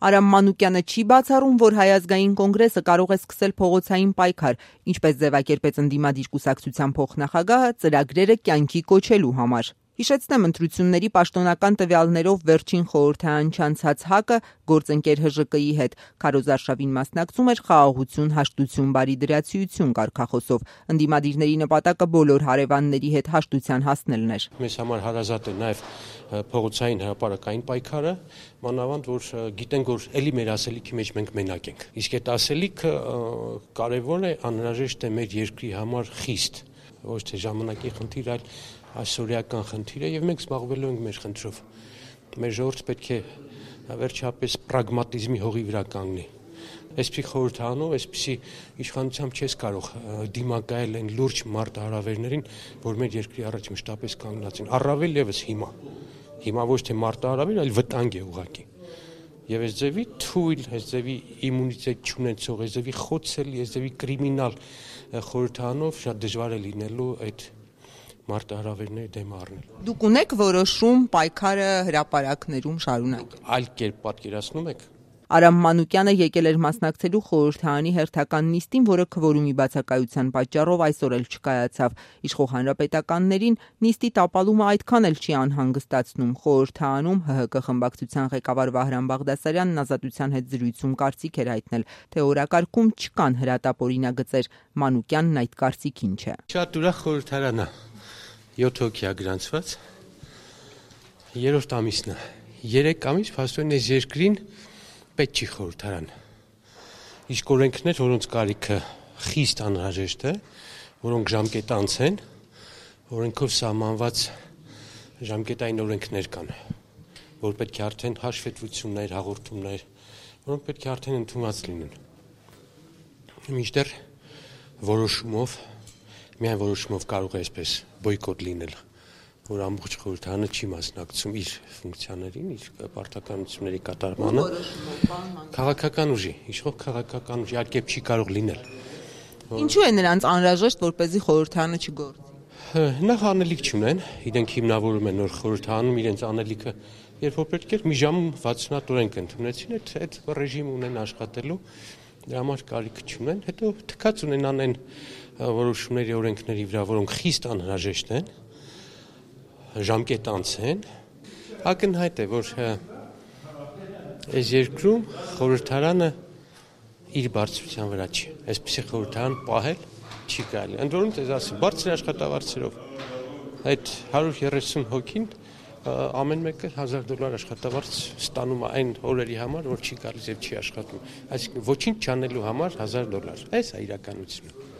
Արամ Մանուկյանը չի բացառում, որ Հայ ազգային կոնգրեսը կարող է սկսել փողոցային պայքար, ինչպես ձևակերպեց ընդդիմադիր կուսակցության փոխնախագահը, ծրագրերը կյանքի կոչելու համար։ Հիշեցնեմ, ընտրությունների պաշտոնական տվյալներով վերջին խորհրդարան չանցած ՀԱԿ-ը գործընկեր ՀԺԿ-ի հետ քարոզարշավին մասնակցում էր խաղաղություն, հաշտություն, բարիդրացիություն կարգախոսով։ Ընդդիմադիրների նպատակը բոլոր հարևանների հետ հաշտության հասնելն էր։ Մեզ համար հարազատ է նաև փողոցային հրապարակային պայքարը, մանավանդ որ գիտենք, որ էլի մեր ասելիքի մեջ մենք մենակ ենք։ Իսկ այդ ասելիքը կարևոր է, անհրաժեշտ է մեր երկրի համար խիստ, ոչ թե ժամանակի խնդիր, այլ այսօրյական խնդիր է, եւ մենք զբաղվելու ենք մեր խնդրով։ Մեր ժողովուրդը պետք է վերջապես պրագմատիզմի հողի վրա կանգնի։ Այսպիսի խորհրդանով, այսպիսի իշխանությամբ չես կարող դիմակայել այն լուրջ մարտահրավերներին, որ մեր երկրի առաջ մշտապես կանգնած են։ Առավել եւս հիմա ոչ թե մարտահրավեր, այլ վտանգ է ուղղակի։ Եվ այս ձևի թույլ, այս ձևի իմունիտետ չունեցող, այս ձևի խոցելի, այս ձևի կրիմինալ խորհրդանով շատ դժվար է լինելու այդ մարտահրավերների դեմ առնել։ Դուք ունեք որոշում պայքարը հրապարակներում շարունակել։ Այլ կերպ պատկերացնում եք։ Արամ Մանուկյանը եկել էր մասնակցելու խորհրդարանի հերթական նիստին, որը քվորումի բացակայության պատճառով այսօր էլ չկայացավ։ Իշխող հանրապետականներին նիստի տապալումը այդքան էլ չի անհանգստացնում։ Խորհրդարանում ՀՀԿ խմբակցության ղեկավար Վահրամ Բաղդասարյանն Ազատության հետ զրույցում կարծիք էր հայտնել, թե օրակարգում չկան հրատապ օրինագծեր։ Մանուկյանն այդ կարծիքին չէ։ Շատ ուրախ խորհրդարան է, 7 հոգի է գրանցված, 3-րդ ամիսն է, 3 ամիս փաստորեն այս երկրին պետք չի խորհրդարան։ Իսկ օրենքներ, որոնց կարիքը խիստ անհրաժեշտ է, որոնք ժամկետանց են, օրենքով սահմանված ժամկետային օրենքներ կան, որ պետք է արդեն հաշվետվություններ, հաղորդումներ, որոնք պետք է արդեն ընդունված լինեն։ Մինչդեռ որոշումով, միայն որոշումով կարող է այսպես բոյկոտ լինել, որ ամբողջ խորհրդարանը չի մասնակցում իր ֆունկցիաներին, իր պարտականությունների կատարմանը։ Քաղաքական ուժի, իշխող քաղաքական ուժի, այլ կերպ չի կարող լինել։ Ինչու է նրանց անհրաժեշտ, որպեսզի խորհրդարանը չգործի։ Նախ անելիք չունեն, իրենք հիմնավորում են նոր խորհրդարանում իրենց անելիքը, երբ որ պետք էր մի ժամ 60 հատ օրենք ընդունեցին, այդ ռեժիմը ունեն աշխատելու, դրա համար կարիք չունեն, հետո թքած ունենան այն որոշումների օրենքների վրա, որոնք խիստ անհրաժեշտ են, ժամկետանց են, ակնհայտ է, որ այս երկրում խորհրդարանը իր բարձրության վրա չի, այսպիսի խորհրդարան պահել չի կարելի, ընդ որում ձեզ ասեմ, բարձր աշխատավարձերով, այդ 130 հոգին ամեն մեկը $1000 աշխատավարձ ստանում է այն օրերի համար, որ չի գալիս եւ չի աշխատում, այսինքն ոչինչ չանելու համար $1000, այս է իրականությունը։